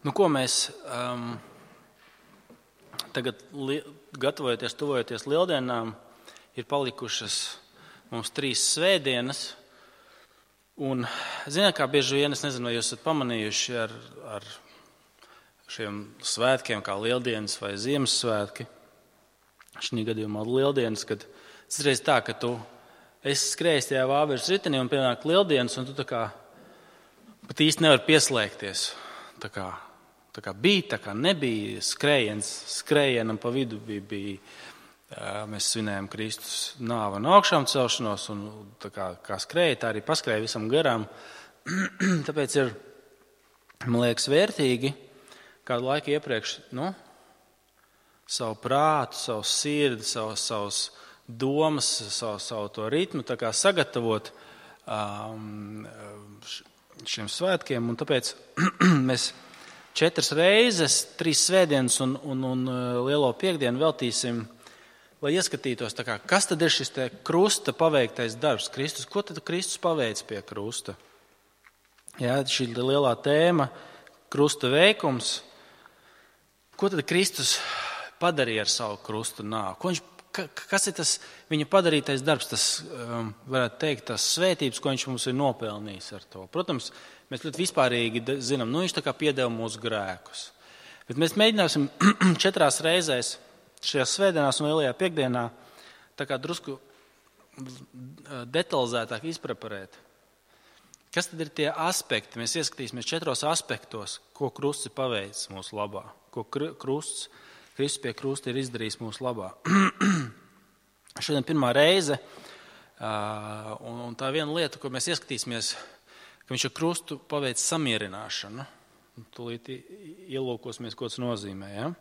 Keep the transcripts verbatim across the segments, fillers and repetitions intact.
Nu, ko mēs um, tagad li gatavojoties, tuvojoties lieldienām, ir palikušas mums trīs svētdienas. Un, ziniet, kā bieži vien, es nezinu, vai jūs esat pamanījuši ar, ar šiem svētkiem, kā lieldienas vai Ziemassvētki. Šī gadījumā lieldienas, kad tas reiz tā, ka tu esi skrējis tajā vāveres ritenī un pienāk lieldienas, un tu tā kā pat īsti nevar pieslēgties. Tā kā, tā kā bija, tā kā nebija, skrējiens, skrējienam pa vidu bija, bija mēs svinējam Kristus nāvi un augšām celšanos, un tā kā, kā skrēja, tā arī paskrēja visam garām. Tāpēc ir, man liekas, vērtīgi kādu laiku iepriekš, nu, savu prātu, savu sirdi, savu, savus domas, savu, savu to ritmu, tā kā sagatavot um, šiem svētkiem, un tāpēc mēs četras reizes, trīs svētdienas un, un, un lielo piekdienu veltīsim, lai ieskatītos, tā kā, kas tad ir šis te krusta paveiktais darbs, Kristus, ko tad Kristus paveic pie krusta? Jā, šī lielā tēma, krusta veikums, ko tad Kristus padarīja ar savu krusta nāvi? Ko viņš, kas ir tas viņa padarītais darbs, tas, um, varētu teikt, tas svētības, ko viņš mums ir nopelnījis ar to? Protams, mēs ļoti vispārīgi zinām, nu viņš tā kā piedeva mūsu grēkus. Bet mēs mēģināsim četrās reizēs šajās svētdienās un lielajā piekdienā tā kā drusku detalizētāk izpreparēt. Kas tad ir tie aspekti? Mēs ieskatīsimies četros aspektos, ko krusts ir paveicis mūsu labā, ko krusts, Kristus pie krusta ir izdarījis mūsu labā. Šodien pirmā reize, un tā viena lieta, ko mēs ieskatīsimies, ka viņš ar krustu paveic samierināšanu. Tūlīt ielūkosimies, ko tas nozīmē, ja?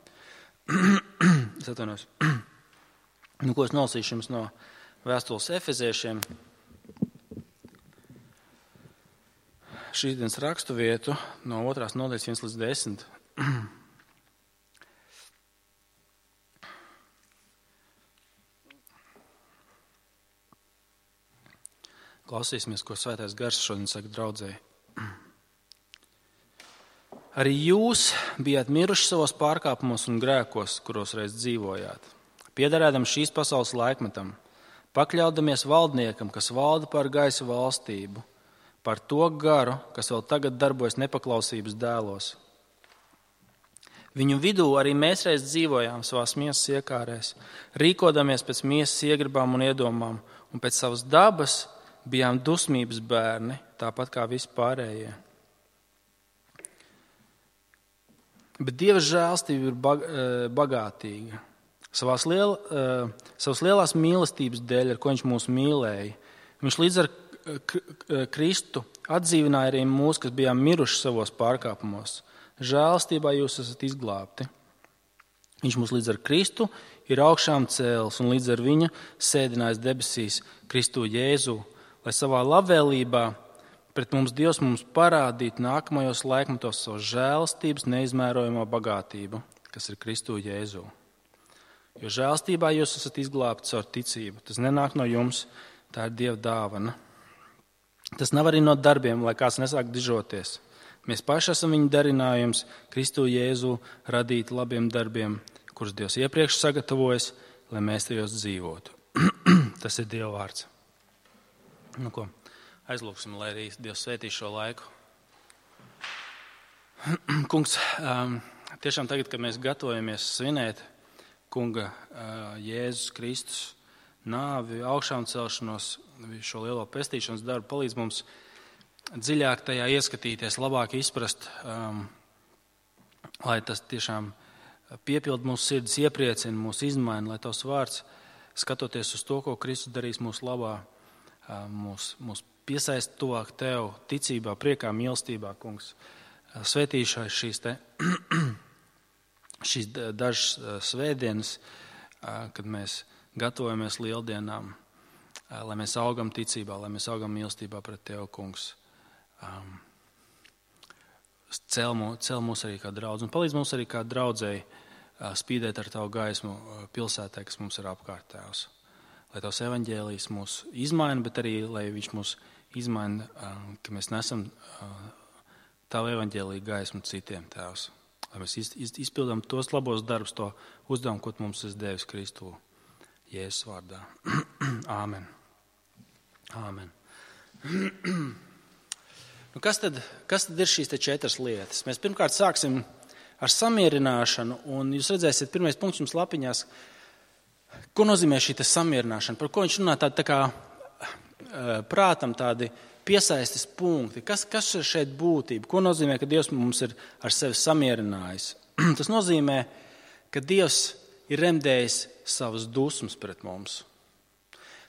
Es atvainojos. Nu, ko es nolasīšu jums no vēstules Efeziešiem. Šīs dienas rakstu vietu no otrās nodaļas viens līdz desmit. Klausīsimies, ko Svētais Gars šodien saka draudzēji. Arī jūs bijāt miruši savos pārkāpumos un grēkos, kuros reiz dzīvojāt, piederēdam šīs pasaules laikmetam, pakļaudamies valdniekam, kas valda pār gaisa valstību, par to garu, kas vēl tagad darbojas nepaklausības dēlos. Viņu vidū arī mēs reiz dzīvojām savās miesas iekārēs, rīkodamies pēc miesas iegribām un iedomām, un pēc savas dabas bijām dusmības bērni, tāpat kā visi pārējie. Bet Dieva žēlstība ir bagātīga. Savās, liel, savas lielās mīlestības dēļ, ar ko viņš mūs mīlēja, viņš līdz ar Kristu atdzīvināja arī mūs, kas bijām miruši savos pārkāpumos. Žēlstībā jūs esat izglābti. Viņš mūs līdz ar Kristu ir augšām cēlis un līdz ar viņa sēdinājis debesīs Kristu Jēzu, lai savā labvēlībā pret mums Dievs mums parādīt nākamajos laikmetos savu žēlstības neizmērojamo bagātību, kas ir Kristu Jēzu. Jo žēlstībā jūs esat izglābti caur ticību. Tas nenāk no jums, tā ir Dieva dāvana. Tas nav arī no darbiem, lai kāds nesāk dižoties. Mēs paši esam viņa darinājums, Kristu Jēzu radīt labiem darbiem, kurus Dievs iepriekš sagatavojas, lai mēs tajos dzīvotu. Tas ir Dieva vārds. Nu ko? Aizlūksim, lai arī Dievs svētī šo laiku. Kungs, tiešām tagad, kad mēs gatavojamies svinēt Kunga Jēzus Kristus nāvi, augšām celšanos, šo lielo pestīšanas darbu, palīdz mums dziļāk tajā ieskatīties, labāk izprast, um, lai tas tiešām piepild mūsu sirdis, iepriecina, mūs izmaina, lai tavs vārds, skatoties uz to, ko Kristus darīs mūsu labā, mūs, mūs piesaist tuvāk tev, ticībā, priekā, mīlestībā, kungs. Svētīšai šīs te, šīs dažas svētdienas, kad mēs gatavojamies lieldienām, lai mēs augam ticībā, lai mēs augam mīlestībā pret tev, kungs. Cel, mūs, cel mūs arī kā draudz, un palīdz mums arī kā draudzēji spīdēt ar tavu gaismu pilsētē, kas mums ir apkārt, Tēvs. Lai tavs evaņģēlijs mūs izmaina, bet arī, lai viņš mūs izmaina, ka mēs nesam Tavu evaņģēliju gaismu citiem, Tēvs. Lai mēs izpildām tos labos darbus, to uzdevumu, ko mums esi devis Kristū. Jēzus vārdā. Āmen. Āmen. Nu, kas, tad, kas tad ir šīs te četras lietas? Mēs pirmkārt sāksim ar samierināšanu, un jūs redzēsiet, pirmais punkts jums lapiņās, ko nozīmē šī te samierināšana, par ko viņš runā tādi tā kā prātam tādi piesaistes punkti. Kas, kas ir šeit būtība? Ko nozīmē, ka Dievs mums ir ar sevi samierinājis? Tas nozīmē, ka Dievs ir remdējis savas dusmas pret mums.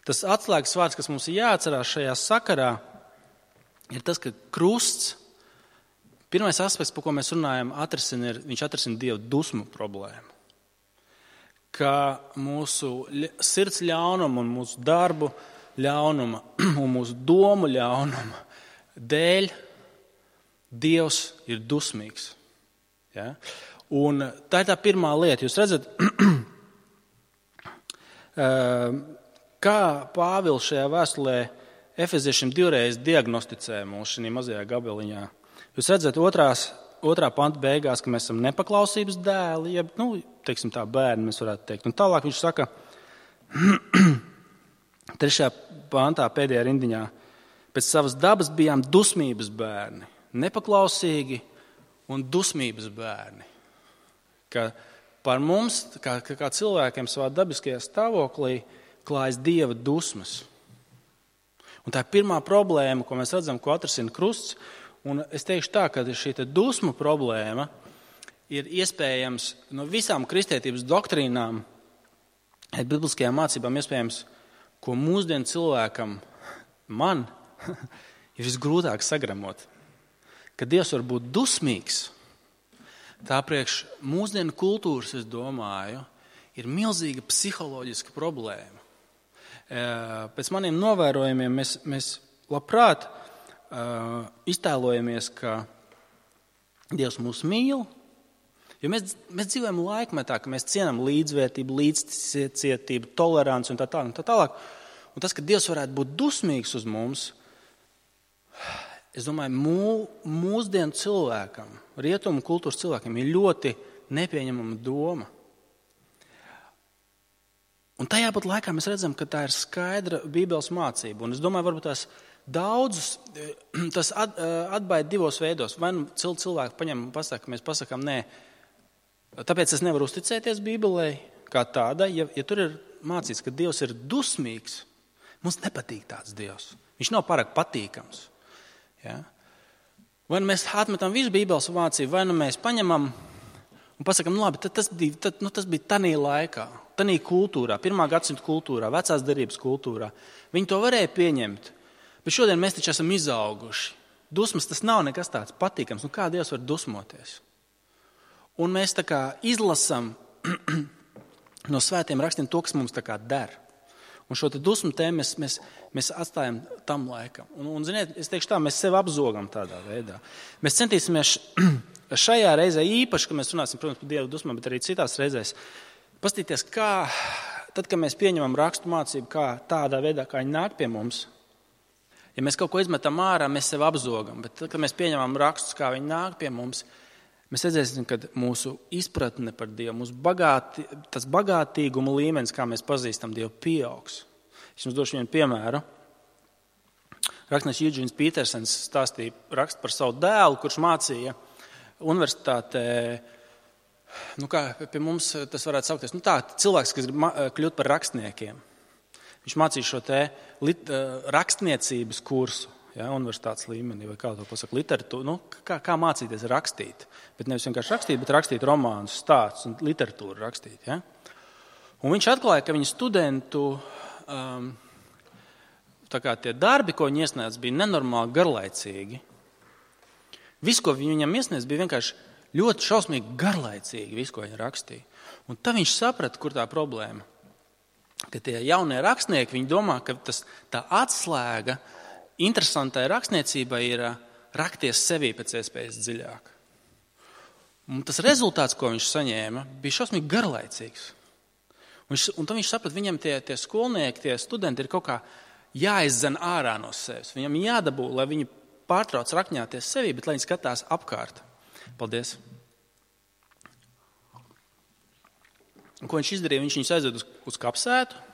Tas atslēgas vārds, kas mums ir jāatcerās šajā sakarā, ir tas, ka krusts, pirmais aspekts, par ko mēs runājam, atrisina, ir, viņš atrisina Dieva dusmu problēmu. Ka mūsu sirds ļaunuma un mūsu darbu ļaunuma un mūsu domu ļaunuma dēļ Dievs ir dusmīgs. Ja? Un tā ir tā pirmā lieta. Jūs redzat, kā Pāvils šajā vēstulē Efeziešiem divreiz diagnosticē mūs šajā mazajā gabaliņā. Jūs redzat, otrās, otrā panta beigās, ka mēs esam nepaklausības dēli, jeb, nu, teiksim tā, bērni, mēs varētu teikt. Un tālāk viņš saka, trešajā pantā pēdējā rindiņā, pēc savas dabas bijām dusmības bērni, nepaklausīgi un dusmības bērni. Ka par mums, kā, kā cilvēkiem savā dabiskajā stāvoklī, klājas Dieva dusmas. Un tā ir pirmā problēma, ko mēs redzam, ko atrisina krusts. Un es teikšu tā, ka šī dusmu problēma ir iespējams no visām kristietības doktrīnām, bibliskajām mācībām iespējams, ko mūsdienu cilvēkam, man, ir visgrūtāk sagramot. Ka Dievs var būt dusmīgs, tā priekš mūsdienu kultūras, es domāju, ir milzīga psiholoģiska problēma. Pēc maniem novērojumiem mēs, mēs labprāt uh, iztēlojamies, ka Dievs mūs mīl, jo mēs, mēs dzīvojam laikmetā, ka mēs cienam līdzvērtību, līdzcietību, toleranci un tā tālāk. Un, tā tālāk. Un tas, ka Dievs varētu būt dusmīgs uz mums, es domāju, mū, mūsdienu cilvēkam, rietumu kultūras cilvēkiem ir ļoti nepieņemama doma. Un tajā pat laikā mēs redzam, ka tā ir skaidra Bībeles mācība. Un es domāju, varbūt tās daudzus, tas atbaida divos veidos. Vai nu cilvēki paņem un pasaka, ka mēs pasakām, nē, tāpēc es nevaru uzticēties Bībelei kā tādai, ja, ja tur ir mācīts, ka Dievs ir dusmīgs, mums nepatīk tāds Dievs. Viņš nav pārāk patīkams. Ja? Vai nu mēs atmetam visu Bībeles mācību, vai nu mēs paņemam un pasakām, nu labi, tad tas bija, tad, nu, tas bija tanī laikā, tanī kultūrā, pirmā gadsimta kultūrā, vecās derības kultūrā. Viņi to varēja pieņemt, bet šodien mēs taču esam izauguši. Dusmas tas nav nekas tāds patīkams, nu kā Dievs var dusmoties? Un mēs tā kā izlasam no svētiem rakstiem to, kas mums tā kā der. Un šo dusmu tēmu mēs, mēs, mēs atstājam tam laikam. Un, un ziniet, es teikšu tā, mēs sevi apzogam tādā veidā. Mēs centīsimies šajā reizē īpaši, ka mēs runāsim, protams, par Dieva dusmām, bet arī citās reizēs, paskatīties, kā, tad, kad mēs pieņemam rakstu mācību, kā tādā veidā, kā viņi nāk pie mums, ja mēs kaut ko izmetam ārā, mēs sevi apzogam, bet tad, kad mēs pieņemam rakstus, kā viņi nāk pie mums, mēs redzēsim, ka mūsu izpratne par Dievu, mūsu bagāti, tas bagātīguma līmenis, kā mēs pazīstam Dievu, pieaugs. Es jums došu vienu piemēru. Rakstnieks Eugēns Petersens stāstīja rakstu par savu dēlu, kurš mācīja universitātē, nu kā pie mums tas varētu saukties, nu tā, cilvēks, kas grib kļūt par rakstniekiem. Viņš mācīja šo te lit, rakstniecības kursu, ja, universitātes līmenī, vai kā to pasaka, literatūru, nu, kā, kā mācīties rakstīt. Bet nevis vienkārši rakstīt, bet rakstīt romānus, stāstus un literatūru rakstīt. Ja. Un viņš atklāja, ka viņa studentu um, tā kā tie darbi, ko viņi iesniedz, bija nenormāli garlaicīgi. Viss, ko viņam iesniedz, bija vienkārši ļoti šausmīgi garlaicīgi, viss, ko viņi rakstīja. Un tad viņš saprata, kur tā problēma. Ka tie jaunie rakstnieki, viņi domā, ka tas, tā atslēga interesantai rakstniecībai ir rakties sevī pēc iespējas dziļāk. Un tas rezultāts, ko viņš saņēma, bija šausmīgi garlaicīgs. Un, viņš, un tad viņš saprata, viņam tie, tie skolnieki, tie studenti ir kaut kā jāizdzen ārā no sevis. Viņam jādabū, lai viņi pārtrauc rakņāties sevī, bet lai viņi skatās apkārt. Paldies. Un ko viņš izdarīja? Viņš viņus aizved uz, uz kapsētu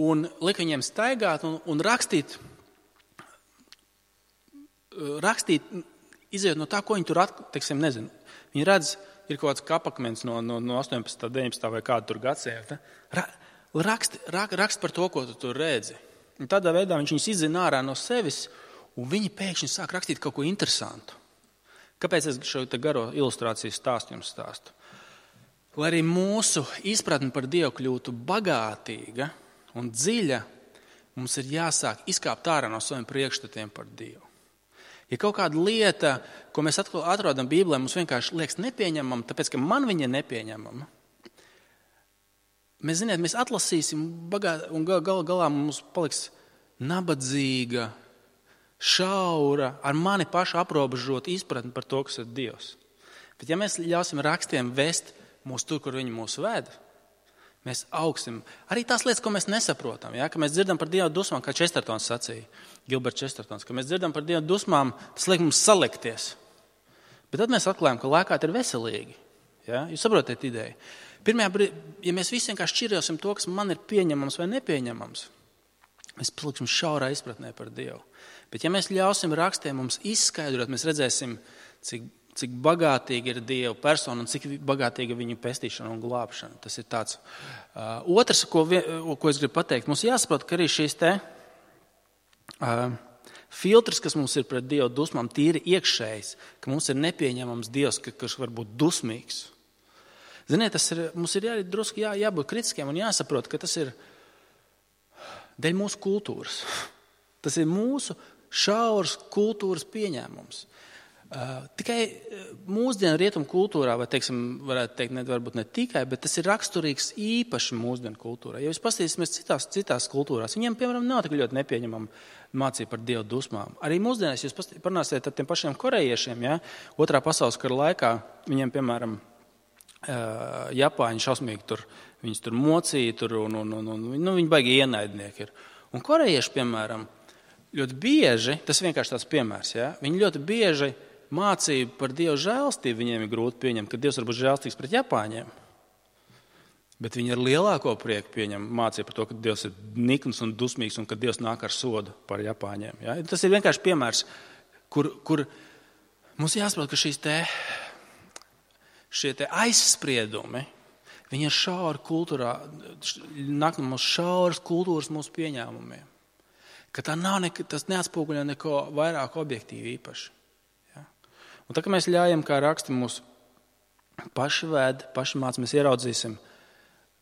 un lika viņiem staigāt un, un rakstīt, rakstīt, izējot no tā, ko viņi tur, at, teiksim, nezinu. Viņi redz, ir kaut kāds kapakmens no, no, no astoņpadsmitā, deviņpadsmitā vai kādu tur gadsimta. Ra, rakst, rak, rakst par to, ko tu tur redzi. Un tādā veidā viņš viņus izzina ārā no sevis, un viņi pēkšņi sāk rakstīt kaut ko interesantu. Kāpēc es šo te garo ilustrāciju stāstu jums stāstu? Lai arī mūsu izpratne par Dievu kļūtu bagātīga un dziļa, mums ir jāsāk izkāpt ārā no saviem priekšstatiem par Dievu. Ja kaut kāda lieta, ko mēs atrodam Bībelē, mums vienkārši liekas nepieņemama, tāpēc, ka man viņa ir nepieņemama, mēs, ziniet, mēs atlasīsim bagāt, un gal, gal, galā mums paliks nabadzīga, šaura, ar mani pašu aprobežot izpratni par to, kas ir Dievs. Bet ja mēs ļausim rakstiem vest mūs tur, kur viņi mūs ved, mēs augsim. Arī tās lietas, ko mēs nesaprotam, ja? Ka mēs dzirdam par Dieva dusmām, kā Čestertons sacīja, Gilberts Čestertons, ka mēs dzirdam par Dieva dusmām, tas liek mums salikties. Bet tad mēs atklājam, ka lēkāt ir veselīgi. Ja? Jūs saprotat ideju? Pirmajā brīdī, ja mēs visi vienkārši šķirjosim to, kas man ir pieņemams vai nepieņemams, mēs paliksim šaurā izpratnē par Dievu. Bet ja mēs ļausim rakstiem mums izskaidrot, mēs redzēsim, cik cik bagātīgi ir Dieva persona un cik bagātīga viņa pestīšana un glābšana. Tas ir tāds. Uh, otrs, ko, ko es gribu pateikt, mums jāsaprot, ka arī šīs te uh, filtrs, kas mums ir pret Dieva dusmām, tīri iekšējs, ka mums ir nepieņemams Dievs, ka, kas var būt dusmīgs. Ziniet, tas ir, mums ir jā, drusku jā, jābūt kritiskiem un jāsaprot, ka tas ir dēļ mūsu kultūras. Tas ir mūsu šauras kultūras pieņēmums. Uh, tikai mūsdienu rietumu kultūrā, vai teiksim, varētu teikt, ne, varbūt ne tikai, bet tas ir raksturīgs īpaši mūsdienu kultūrā. Ja jūs paskatīsimies citās, citās kultūrās, viņiem, piemēram, nav tik ļoti nepieņemama mācība par Dievu dusmām. Arī mūsdienās jūs parunāsiet ar tiem pašiem korejiešiem, ja? Otrā pasaules kara laikā, viņiem, piemēram, uh, Japāņi šausmīgi tur, viņus tur mocīja, tur, un, un, un, un nu, viņi baigi ienaidnieki ir. Un korejieši, piemēram, ļoti bieži, tas vienkārši tāds piemērs, ja? Viņi ļoti bieži mācība par Dieva žēlstību viņiem ir grūti pieņemt, ka Dievs var būt žēlstīgs pret Japāņiem. Bet viņi ar lielāko prieku pieņem mācību par to, ka Dievs ir nikns un dusmīgs un ka Dievs nāk ar sodu par Japāņiem. Ja? Tas ir vienkārši piemērs, kur, kur mums jāsaprot, ka šīs te, šie te aizspriedumi, viņi ir šauri kultūrā, nāk no mūsu šauras kultūras mūsu pieņēmumiem. Ka tā nav nek, tas neatspoguļo neko vairāk objektīvi īpaši. Un tā, ka mēs ļājam, kā raksti mūs paši vēd, paši māc, mēs ieraudzīsim,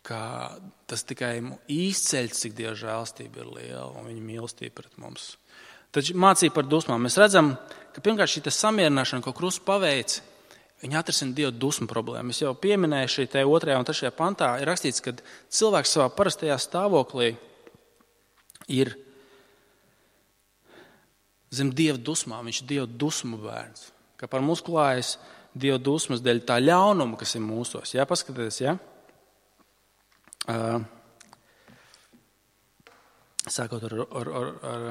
ka tas tikai izceļ, cik Dieva žēlstība ir liela un viņa mīlestība pret mums. Taču mācība par dusmām. Mēs redzam, ka pirmkārt šī samierināšana, ko Krusts paveic, viņa atrisina Dieva dusmu problēmu. Es jau pieminēju šī te otrajā un trešajā pantā, ir rakstīts, ka cilvēks savā parastajā stāvoklī ir zem Dieva dusmām, viņš ir Dieva dusmu bērns. Ka par mums klājas Dieva dusmas dēļ tā ļaunuma, kas ir mūsos. Jā, paskatieties, jā. Uh, sākot ar, ar, ar, ar,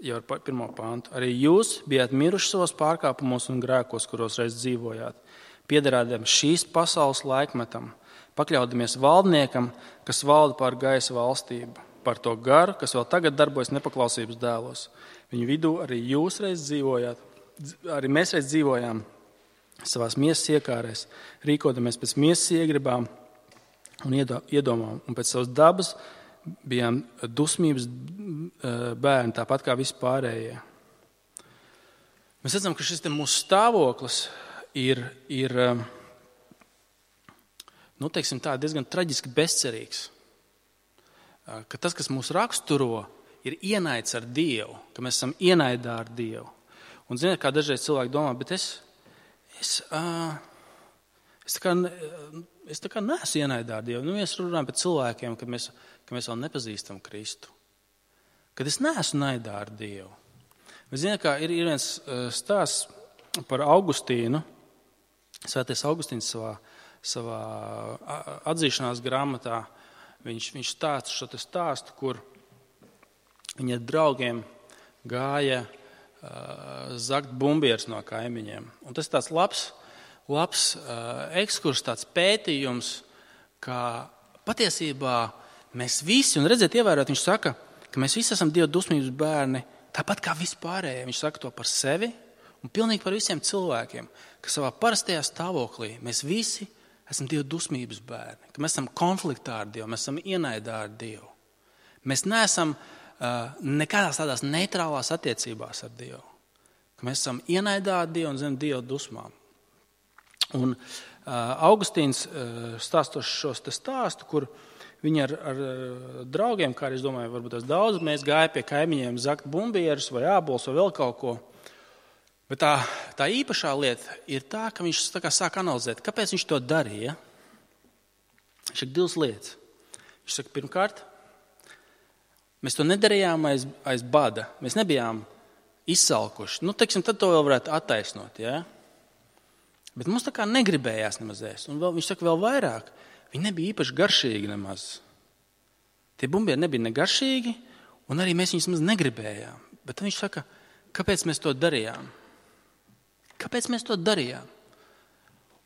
jau ar pirmo pāntu. Arī jūs bijāt miruši savos pārkāpumos un grēkos, kuros reiz dzīvojāt, piederādami šīs pasaules laikmetam, pakļaudamies valdniekam, kas valda pār gaisa valstību, par to garu, kas vēl tagad darbojas nepaklausības dēlos. Viņu vidū arī jūs reiz dzīvojāt. Arī mēs reiz dzīvojām savās miesas iekārēs, rīkodamies pēc miesas iegribām un iedomām, un pēc savas dabas bijām dusmības bērni, tāpat kā visi pārējie. Mēs redzam, ka šis te mūsu stāvoklis ir, ir nu, teiksim tā, diezgan traģiski bezcerīgs. Ka tas, kas mūs raksturo, ir ienaids ar Dievu, ka mēs esam ienaidā ar Dievu. Un ziniet, kā dažreiz cilvēki domā, bet es, es, uh, es tā kā, es tā kā neesmu ienaidā ar Dievu. Nu, mēs runājam par cilvēkiem, kad mēs, kad mēs vēl nepazīstam Kristu. Kad es neesmu naidā ar Dievu. Mēs zinām, kā ir, ir viens stāsts par Augustīnu. Svētais Augustīns savā, savā atzīšanās grāmatā, viņš, viņš stāsta šo te stāstu, kur viņa draugiem gāja zakt bumbieres no kaimiņiem. Un tas ir tāds labs, labs uh, ekskurs, tāds pētījums, ka patiesībā mēs visi, un redziet, ievērot, viņš saka, ka mēs visi esam Dieva dusmības bērni, tāpat kā vispārējie. Viņš saka to par sevi un pilnīgi par visiem cilvēkiem, ka savā parastajā stāvoklī mēs visi esam Dieva dusmības bērni, ka mēs esam konfliktā ar Dievu, mēs esam ienaidā ar Dievu. Mēs neesam uh, nekādās tādās neitrālās attiecībās ar Dievu, ka mēs esam ienaidā ar Dievu un zem Dieva dusmām. Un uh, Augustīns uh, stāstos šos te stāstu, kur viņi ar, ar draugiem, kā arī es domāju, varbūt tas daudz, mēs gāja pie kaimiņiem zakt bumbierus vai ābolus vai vēl kaut ko. Bet tā, tā īpašā lieta ir tā, ka viņš tā kā sāk analizēt, kāpēc viņš to darīja. Viņš saka divas lietas. Viņš saka, pirmkārt, mēs to nedarījām aiz, aiz bada. Mēs nebijām izsalkuši. Nu, teiksim, tad to vēl varētu attaisnot, ja? Bet mums tā kā negribējās nemaz ēst. Un vēl, viņš saka vēl vairāk. Viņi nebija īpaši garšīgi nemaz. Tie bumbieri nebija negaršīgi, un arī mēs viņus nemaz negribējām. Bet viņš saka, kāpēc mēs to darījām? Kāpēc mēs to darījām?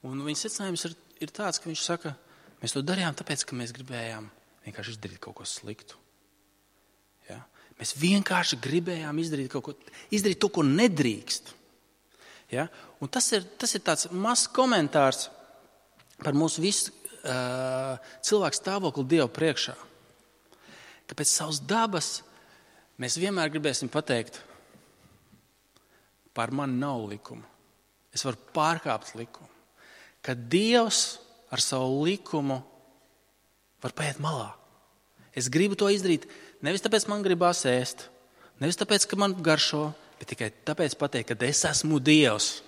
Un viņa secinājums ir, ir tāds, ka viņš saka, mēs to darījām tāpēc, ka mēs gribējām vienkārši izdarīt kaut ko sliktu. Ja? Mēs vienkārši gribējām izdarīt kaut ko, izdarīt to, ko nedrīkst. Ja? Un tas ir, tas ir tāds mazs komentārs par mūsu visu cilvēku stāvokli Dievu priekšā. Ka pēc savas dabas mēs vienmēr gribēsim pateikt, par mani nav likuma. Es varu pārkāpt likumu. Ka Dievs ar savu likumu var paiet malā. Es gribu to izdarīt nevis tāpēc, man gribās ēst, nevis tāpēc, ka man garšo, bet tikai tāpēc pateikt, ka es esmu Dievs.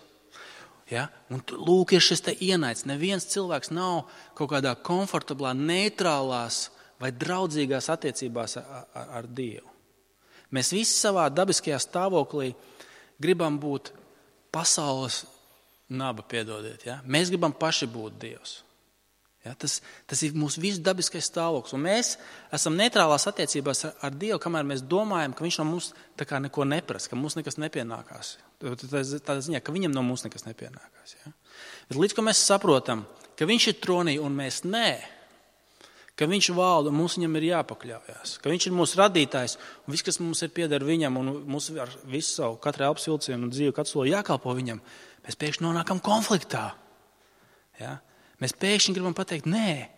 Ja? Un lūk, ir šis te ienaids. Neviens cilvēks nav kaut kādā komfortablā, neitrālās vai draudzīgās attiecībās ar, ar, ar Dievu. Mēs visi savā dabiskajā stāvoklī gribam būt pasaules naba, piedodiet. Ja? Mēs gribam paši būt Dievs. Ja? Tas, tas ir mūsu visu dabiskais stāvoklis. Un mēs esam neitrālās attiecībās ar, ar Dievu, kamēr mēs domājam, ka viņš no mums tā kā neko neprasa, ka mums nekas nepienākās. Tādā ziņā, ka viņam no mums nekas nepienākās. Ja? Bet līdz, ko mēs saprotam, ka viņš ir tronī un mēs nē, ka viņš valda un mums viņam ir jāpakļaujās, ka viņš ir mūsu radītājs un viss, kas mums ir pieder viņam un mums ar visu savu katru elpas vilcienu un dzīvi, katru soli jākalpo viņam, mēs pēkšņi nonākam konfliktā. Ja? Mēs pēkšņi gribam pateikt, nē,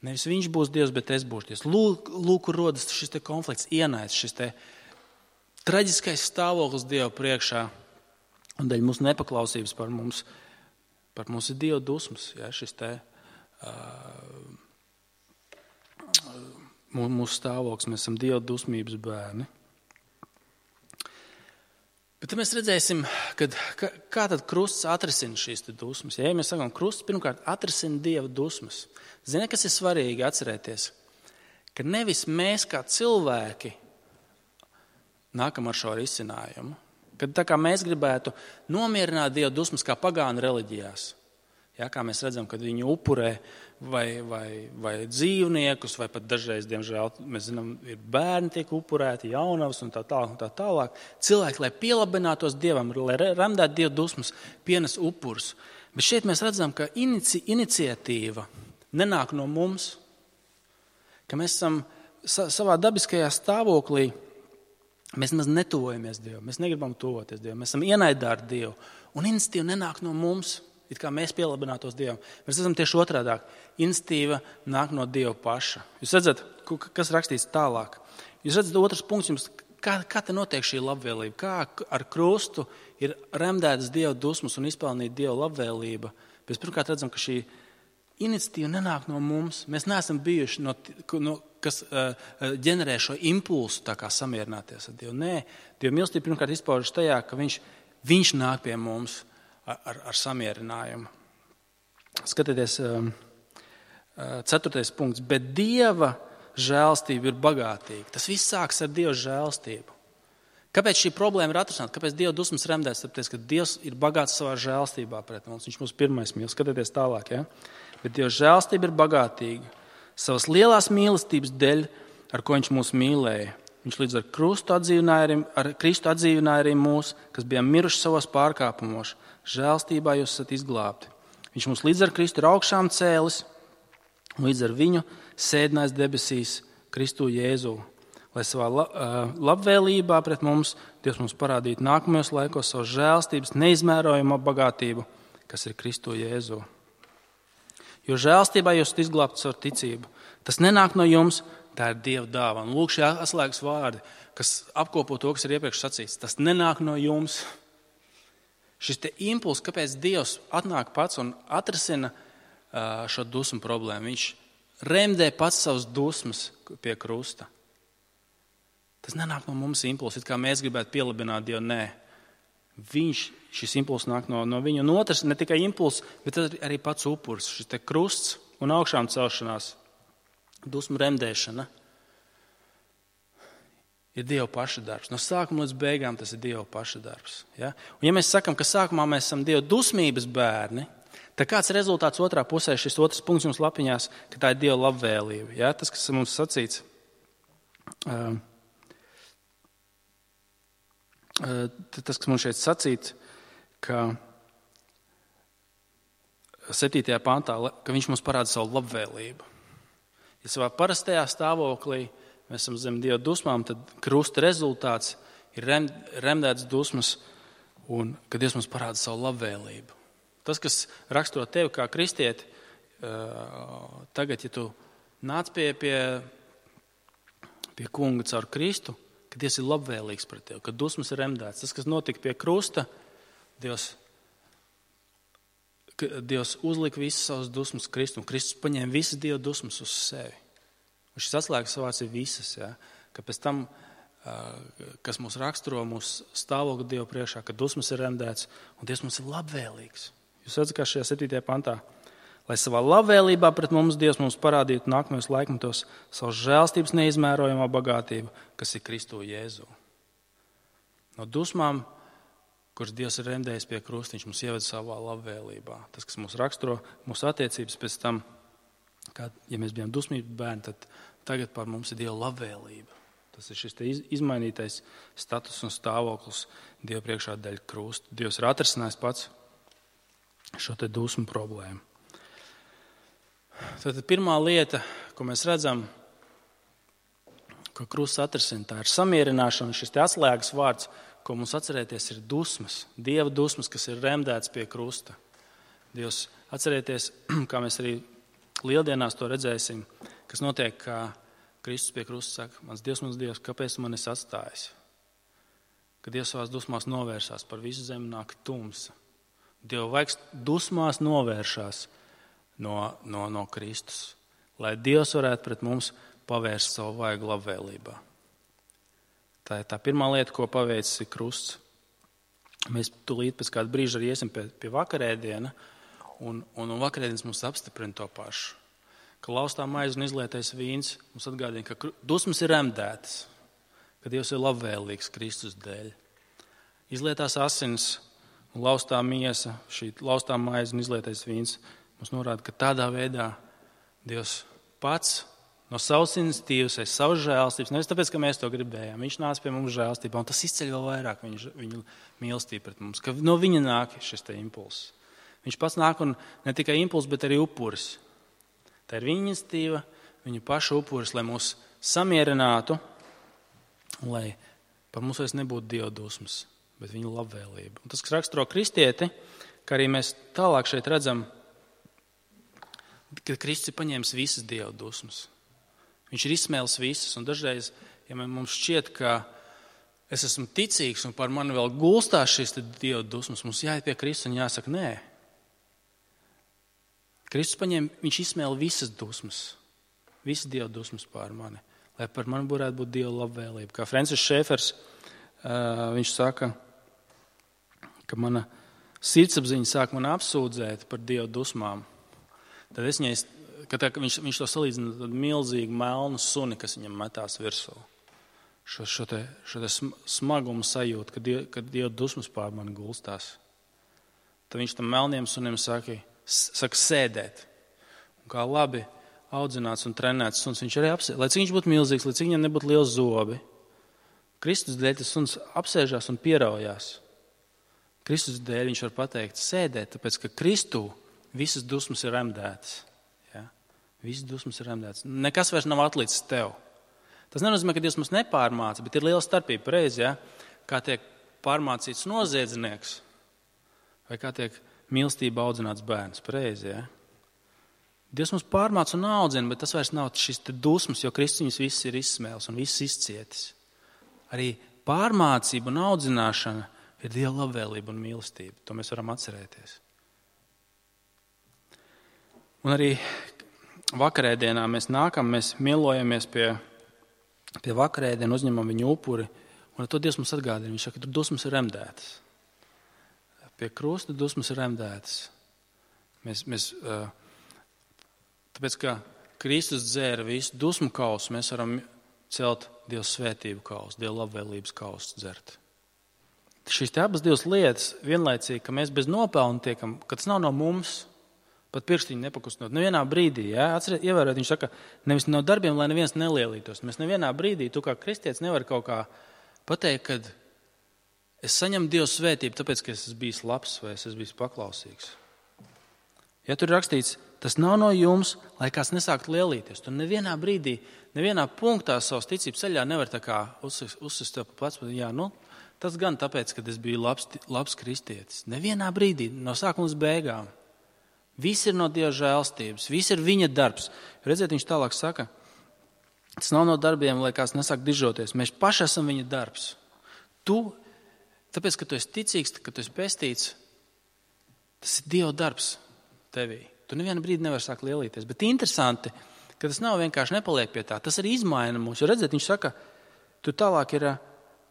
nevis viņš būs Dievs, bet es būšu Dievs. Lūk, lūk rodas šis te konflikts, ienaids, šis te traģiskais stāvoklis Dieva priekšā un dēļ mūsu nepaklausības par mums, par mums ir Dieva dusmas, ja, šis te uh, mūsu stāvoklis, mēs esam Dieva dusmības bērni. Bet tad mēs redzēsim, kad, ka, kā tad krusts atrisina šīs te dusmas. Ja mēs sakām, krusts pirmkārt atrisina Dieva dusmas. Zini, kas ir svarīgi atcerēties? Ka nevis mēs kā cilvēki nākam ar šo risinājumu. Kad tā kā mēs gribētu nomierināt Dieva dusmas kā pagānu reliģijās. Ja, kā mēs redzam, kad viņi upurē vai, vai, vai dzīvniekus, vai pat dažreiz, diemžēl, mēs zinām, ir bērni tiek upurēti, jaunavas un tā tālāk. Un tā tālāk. Cilvēki, lai pielabinātos Dievam, lai remdētu Dieva dusmas, pienes upurus. Bet šeit mēs redzam, ka inici, iniciatīva nenāk no mums, ka mēs esam sa, savā dabiskajā stāvoklī, mēs maz netuvojamies Dievu, mēs negribam tuvoties Dievu, mēs esam ienaidā ar Dievu. Un iniciatīva nenāk no mums. It kā mēs pielabinātos Dievam. Mēs esam tieši otrādāk. Iniciatīva nāk no Dieva paša. Jūs redzat, kas rakstīts tālāk. Jūs redzat, otrs punkts jums, kā, kā te notiek šī labvēlība. Kā ar krustu ir remdētas Dieva dusmas un izpelnīta Dieva labvēlība. Mēs pirmkārt redzam, ka šī iniciatīva nenāk no mums. Mēs neesam bijuši, no, no, kas uh, ģenerē šo impulsu tā kā samierināties ar Dievu. Nē, Dieva mīlestība pirmkārt izpaužas tajā, ka viņš, viņš nāk pie mums Ar, ar samierinājumu. Skatieties, ceturtais punkts. Bet Dieva žēlstība ir bagātīga. Tas viss sāks ar Dieva žēlstību. Kāpēc šī problēma ir atrisināta? Kāpēc Dieva dusmas remdēs? Tāpēc, ka Dievs ir bagāts savā žēlstībā pret mums. Viņš mūs pirmais mīl. Skatieties tālāk. Ja? Bet Dieva žēlstība ir bagātīga. Savas lielās mīlestības dēļ, ar ko viņš mūs mīlēja. Viņš līdz ar Kristu atdzīvināja arī, ar Kristu atdzīvināja arī mūs, kas bijām miruši savos pārkāpumos. Žēlstībā jūs esat izglābti. Viņš mums līdz ar Kristu ir augšām cēlis un līdz ar viņu sēdinājis debesīs Kristu Jēzu. Lai savā labvēlībā pret mums Dievs mums parādītu nākamajos laikos savu žēlstības neizmērojamo bagātību, kas ir Kristu Jēzu. Jo žēlstībā jūs esat izglābti caur ticību. Tas nenāk no jums, tā ir Dieva dāvana. Lūk, šie atslēgas vārdi, kas apkopo to, kas ir iepriekš sacīts. Tas nenāk no jums. Šis te impulss, kāpēc Dievs atnāk pats un atrasina šo dusmu problēmu. Viņš remdē pats savus dusmas pie krusta. Tas nenāk no mums impulss, it kā mēs gribētu pielabināt Dievu. Nē, viņš, šis impulss nāk no, no viņa. Un otrs, ne tikai impulss, bet arī pats upuris. Šis te krusts un augšām celšanās, dusmu remdēšana ir Dieva paša darbs. No sākuma līdz beigām tas ir Dieva paša darbs. Ja? Un ja mēs sakam, ka sākumā mēs esam Dieva dusmības bērni, tad kāds rezultāts otrā pusē, šis otrs punkts jums lapiņās, ka tā ir Dieva labvēlība. Ja? Tas, kas mums sacīts, uh, uh, tas, kas mums šeit sacīts, ka septītajā pantā, ka viņš mums parāda savu labvēlību. Ja savā parastajā stāvoklī mēs esam zem Dieva dusmām, tad krusta rezultāts ir rem, remdēts dusmas un kad Dievs mums parāda savu labvēlību. Tas, kas raksturo tevi kā kristieti, tagad, ja tu nāc pie, pie, pie kunga caur Kristu, ka Dievs ir labvēlīgs pret tevi, ka dusmas ir remdēts. Tas, kas notika pie krusta, Dievs, Dievs uzlika visas savas dusmas Kristu, un Kristus paņēma visas Dieva dusmas uz sevi. Un šis atslēgas vārds ir visas, ja? Ka pēc tam, kas mūs raksturo, mūsu stāvokli Dievu priekšā, ka dusmas ir remdēts, un Dievs mums ir labvēlīgs. Jūs redzat, kā šajā septītajā pantā, lai savā labvēlībā pret mums Dievs mums parādītu nākamajos laikmetos savu žēlstības neizmērojamo bagātību, kas ir Kristu Jēzu. No dusmām, kuras Dievs ir remdējis pie krusta, viņš mums ieved savā labvēlībā. Tas, kas mūs raksturo, mūsu attiecības pēc tam, kā, ja mēs bijām dusmīgi bērni, tad tagad par mums ir Dieva labvēlība. Tas ir šis te izmainītais status un stāvoklis Dieva priekšā dēļ krusta. Dievs ir atrisinājis pats šo te dusmu problēmu. Tad pirmā lieta, ko mēs redzam, ko krusts atrisina, tā ir samierināšana. Šis te atslēgas vārds, ko mums atcerēties, ir dusmas. Dieva dusmas, kas ir remdēts pie krusta. Dievs, atcerēties, kā mēs arī lieldienās to redzēsim, kas notiek, kā Kristus pie krusta saka, mans Dievs, mans Dievs, kāpēc tu mani esi atstājis? Kad Dievs savās dusmās novērsās, par visu zemi nāk tumsa. Dieva vaigs dusmās novēršās no, no, no Kristus, lai Dievs varētu pret mums pavērst savu vaigu labvēlībā. Tā ir tā pirmā lieta, ko paveicis ir krusts. Mēs tūlīt pēc kāda brīža arī iesim pie, pie vakarēdiena, un, un, un vakarēdienas mums apstiprina to pašu. Ka laustā maize un izlietais vīns mums atgādina, ka dusmas ir remdētas, ka Dievs ir labvēlīgs Kristus dēļ. Izlietās asins un laustā miesa, šī laustā maize un izlietais vīns mums norāda, ka tādā veidā Dievs pats no savas iniciatīvas, aiz savas žēlstības, nevis tāpēc, ka mēs to gribējām. Viņš nāca pie mums žēlstībā, un tas izceļ vēl vairāk viņu, viņu mīlestību pret mums, ka no viņa nāk šis te impulss. Viņš pats nāk un ne tikai impulss, bet arī upuris. Tā ir viņa iniciatīva, viņa paša upuris, lai mūs samierinātu, un lai par mums vairs nebūtu Dieva dusmas, bet viņa labvēlība. Un tas, kas raksturo kristieti, ka arī mēs tālāk šeit redzam, ka Kristus ir paņēmis visas Dieva dusmas. Viņš ir izsmēlis visas, un dažreiz, ja mums šķiet, ka es esmu ticīgs un par mani vēl gulstās šīs Dieva dusmas, mums jāiet pie Kristus un jāsaka, nē. Kristus paņēma, viņš izsmēla visas dusmas, visas Dieva dusmas pār mani, lai par mani varētu būt Dieva labvēlība. Kā Francis Šēfers, viņš saka, ka mana sirdsapziņa sāk man apsūdzēt par Dieva dusmām. Tad es viņai Ka tā, viņš, viņš to salīdzina ar milzīgu melnu suni, kas viņam metās virsū. Šo, šo, te, šo te smagumu sajūtu, kad, die, kad Dieva dusmas pār mani gulstās. Tad viņš tam melniem sunim saka, saka sēdēt. Un kā labi audzināts un trenēts suns, viņš arī apsēd. Lai cik viņš būtu milzīgs, lai cik viņam nebūtu liels zobi, Kristus dēļ tas suns apsēžās un pieraujās. Kristus dēļ viņš var pateikt sēdēt, tāpēc, ka Kristū visas dusmas ir remdētas. Ja? Visas dusmas ir remdētas. Nekas vairs nav atlicis tev. Tas nenozīmē, ka Dievs mums nepārmāca, bet ir liela starpība, pareizi, ja? Kā tiek pārmācīts noziedznieks vai kā tiek mīlestība audzināts bērns, pareizi, ja? Dievs mums pārmāca un audzina, bet tas vairs nav šis dusmas, jo Kristus viņus viss ir izsmēlis un viss izcietis. Arī pārmācība un audzināšana ir Dieva labvēlība un mīlestība. To mēs varam atcerēties. Un arī vakarēdienā mēs nākam, mēs mielojamies pie, pie vakarēdiena, uzņemam viņu upuri, un ar to Dievs mums atgādina. Viņš saka, ka tur dusmas ir remdētas. Pie krusta dusmas ir remdētas. Mēs, mēs, tāpēc, ka Kristus dzēra visu dusmu kausu, mēs varam celt Dieva svētību kausu, Dieva labvēlības kausu dzert. Šīs te abas divas lietas vienlaicīgi, ka mēs bez nopelna tiekam, ka tas nav no mums, pat pirkstiņu nepakustinot. Nevienā brīdī, ja, atceriet, ievērot, viņš saka, nevis no darbiem, lai neviens nelielītos. Mēs nevienā brīdī, tu kā kristietis nevar kaut kā pateikt, kad es saņemu Dieva svētību, tāpēc, ka es esmu bijis labs vai es esmu bijis paklausīgs. Ja tur ir rakstīts, tas nav no jums, lai kāds nesāktu lielīties. Tu nevienā brīdī, nevienā punktā savas ticības ceļā nevar tā kā uzsist tev pa plecu, jā, nu, tas gan tāpēc, ka es biju labs, labs kristietis. Nevienā brīdī, no sākuma līdz beigām. Viss ir no Dieva žēlstības, viss ir viņa darbs. Redziet, viņš tālāk saka, tas nav no darbiem, lai kāds nesāk dižoties. Mēs paši esam viņa darbs. Tu, tāpēc, ka tu esi ticīgs, ka tu esi pestīts, tas ir Dieva darbs tevī. Tu nevienu brīdi nevar sākt lielīties. Bet interesanti, ka tas nav vienkārši nepaliek pie tā. Tas arī izmaina mūs. Jo redziet, viņš saka, tu tālāk ir...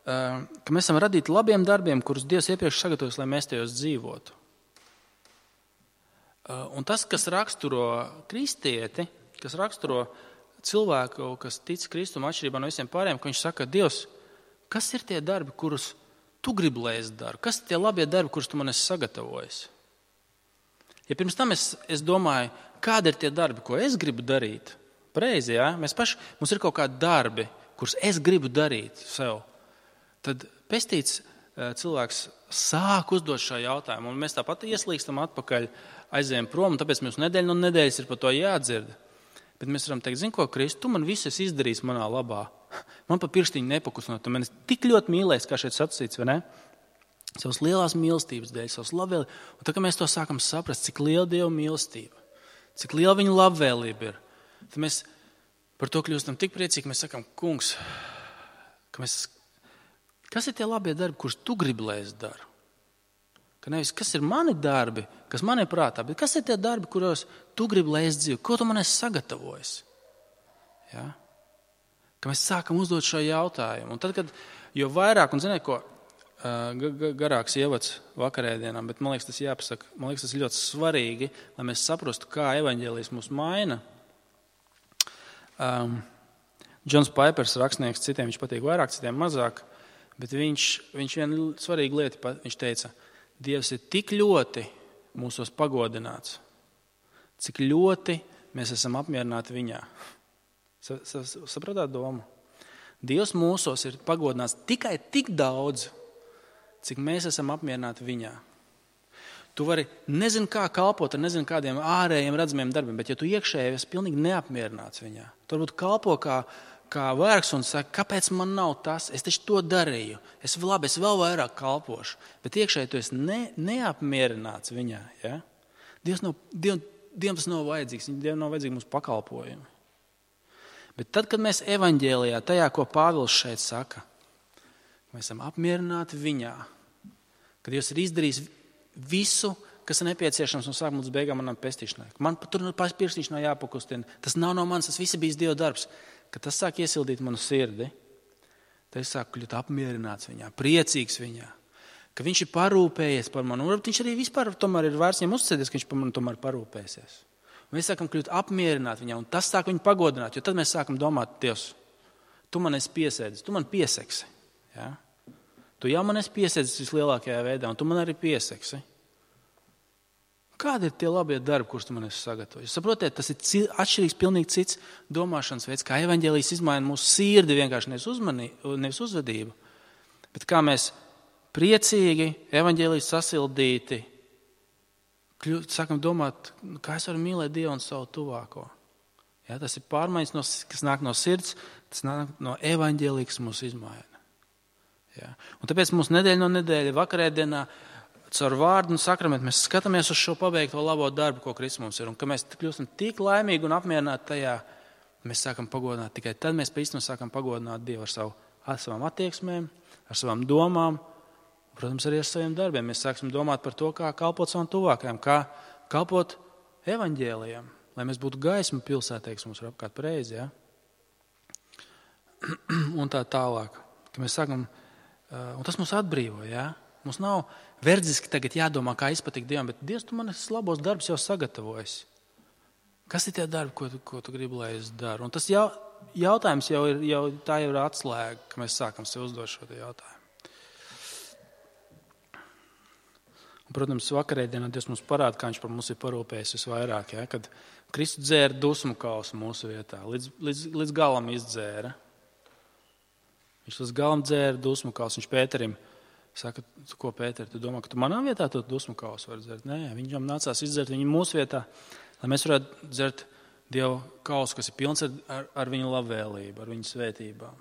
ka mēs esam radīti labiem darbiem, kurus Dievs iepriekš sagatavojas, lai mēs tajos dzīvotu. Un tas, kas raksturo kristieti, kas raksturo cilvēku, kas tic Kristum atšķirībā no visiem pārējiem, ka viņš saka, Dievs, kas ir tie darbi, kurus tu gribi, lai es daru? Kas ir tie labie darbi, kurus tu man esi sagatavojis? Ja pirms tam es, es domāju, kādi ir tie darbi, ko es gribu darīt? Pareizi, jā? Mēs paši, mums ir kaut kādi darbi, kurus es gribu darīt sev. Tad pestīts cilvēks sāk uzdot šo jautājumu, un mēs tāpat ieslīgstam atpakaļ, aizējam prom, un tāpēc mums nedēļa no nedēļas ir par to jādzird. Bet mēs varam teikt, zini ko, Kristu, tu man visu esi izdarījis manā labā. Man pa pirkstiņu nepakustinot, tu man esi tik ļoti mīlējis, kā šeit sacīts, vai ne? Savas lielās mīlestības dēļ, savas labvēlības. Un tā, ka mēs to sākam saprast, cik liela Dieva mīlestība, cik liela viņa labvēlība ir, tad mēs par to kļūstam tik priecīgi, mēs sakam, kungs, ka mēs... Kas ir tie labie darbi, kurus tu gribi, lai es daru? Ka nevis, kas ir mani darbi, kas man ir prātā, bet kas ir tie darbi, kuros tu gribi, lai es dzīvoju? Ko tu man esi sagatavojis? Ja? Ka mēs sākam uzdot šo jautājumu. Un tad, kad, jo vairāk, un ziniet ko, garāks ievads vakarēdienām, bet man liekas, tas jāpasaka, man liekas, tas ir ļoti svarīgi, lai mēs saprastu, kā evaņģēlijs mūs maina. Um, Džons Paipers, rakstnieks, citiem viņš patīk vairāk, citiem mazāk. Bet viņš, viņš vienu svarīgu lietu, viņš teica, Dievs ir tik ļoti mūsos pagodināts, cik ļoti mēs esam apmierināti viņā. Sapratāt domu? Dievs mūsos ir pagodināts tikai tik daudz, cik mēs esam apmierināti viņā. Tu vari nezinu kā kalpot ar nezinu kādiem ārējiem redzamiem darbiem, bet ja tu iekšēji esi pilnīgi neapmierināts viņā, tu varbūt kalpo kā kā vergs un saka, kāpēc man nav tas, es taču to darīju, es labi, es vēl vairāk kalpošu, bet iekšēji tu esi ne, neapmierināts viņā, ja? Dievs nav, Diev, Dievam tas nav vajadzīgs, Dievam nav vajadzīgi mūsu pakalpojumi. Bet tad, kad mēs evaņģēlijā, tajā, ko Pāvils šeit saka, mēs esam apmierināti viņā, kad Dievs ir izdarījis visu, kas ir nepieciešams no sākuma līdz beigām manam pestīšanai. Man tur pirkstiņš nav jāpakustina, tas nav no manis, tas viss bijis Dieva darbs. Kad tas sāk iesildīt manu sirdi, tad es sāku kļūt apmierināts viņā, priecīgs viņā, ka viņš ir parūpējies par mani. Un viņš arī vispār tomēr ir vērts viņam uzticēties, ka viņš par mani tomēr parūpēsies. Un mēs sākam kļūt apmierināti viņā, un tas sāk viņu pagodināt, jo tad mēs sākam domāt, Dievs, tu man esi piesēdis, tu man pieseksi. Ja? Tu jau man esi piesēdis vislielākajā veidā, un tu man arī pieseksi. Kādi ir tie labie darbi, kurus tu man esi sagatavojis? Saprotiet, tas ir atšķirīgs, pilnīgi cits domāšanas veids, kā evaņģēlijs izmaina mūsu sirdi, vienkārši nevis, uzmanī, nevis uzvedību, bet kā mēs priecīgi, evaņģēlijs sasildīti, kļūt, sākam domāt, kā es varu mīlēt Dievu un savu tuvāko. Ja, tas ir pārmaiņas, no, kas nāk no sirds, tas nāk no evaņģēlija, kas mūs izmaina. Ja. Un tāpēc mums nedēļa no nedēļa, vakarēdienā, caur vārdu un sakramentu mēs skatāmies uz šo pabeigto labo darbu, ko Kristus mums ir. Un ka mēs kļūstam tik laimīgi un apmierināti tajā, mēs sākam pagodināt. Tikai tad mēs īstenībā sākam pagodināt Dievu ar, savu, ar savām attieksmēm, ar savām domām, un, protams, arī ar saviem darbiem. Mēs sāksim domāt par to, kā kalpot savam tuvākajam, kā kalpot evaņģēlijam, lai mēs būtu gaisma pilsētē, kas mums ir apkārt pareizi. Ja? Un tā tālāk. Ka mēs sākam, un tas mūs atbrīvo. Ja? Mums nav verdziski tagad jādomā, kā izpatikt Dievam, bet Dievs, tu man esi labos darbus jau sagatavojis. Kas ir tie darbi, ko tu, ko tu gribi, lai es daru? Un tas jau, jautājums jau ir, jau, tā jau ir atslēga, ka mēs sākam sev uzdot šo jautājumu. Un, protams, vakarēdienā Dievs mums parāda, kā viņš par mums ir parūpējis visvairāk, ja? Kad Kristus dzēra dusmu kausu mūsu vietā, līdz, līdz, līdz galam izdzēra. Viņš līdz galam dzēra dusmu kausu, viņš Pēterim saka, ko Pēter, tu domā, ka tu manā vietā to dusmu kausu vari dzert? Nē, viņam nācās izdzert viņu mūsu vietā, lai mēs varētu dzert Dieva kausu, kas ir pilns ar, ar, ar viņu labvēlību, ar viņu svētībām.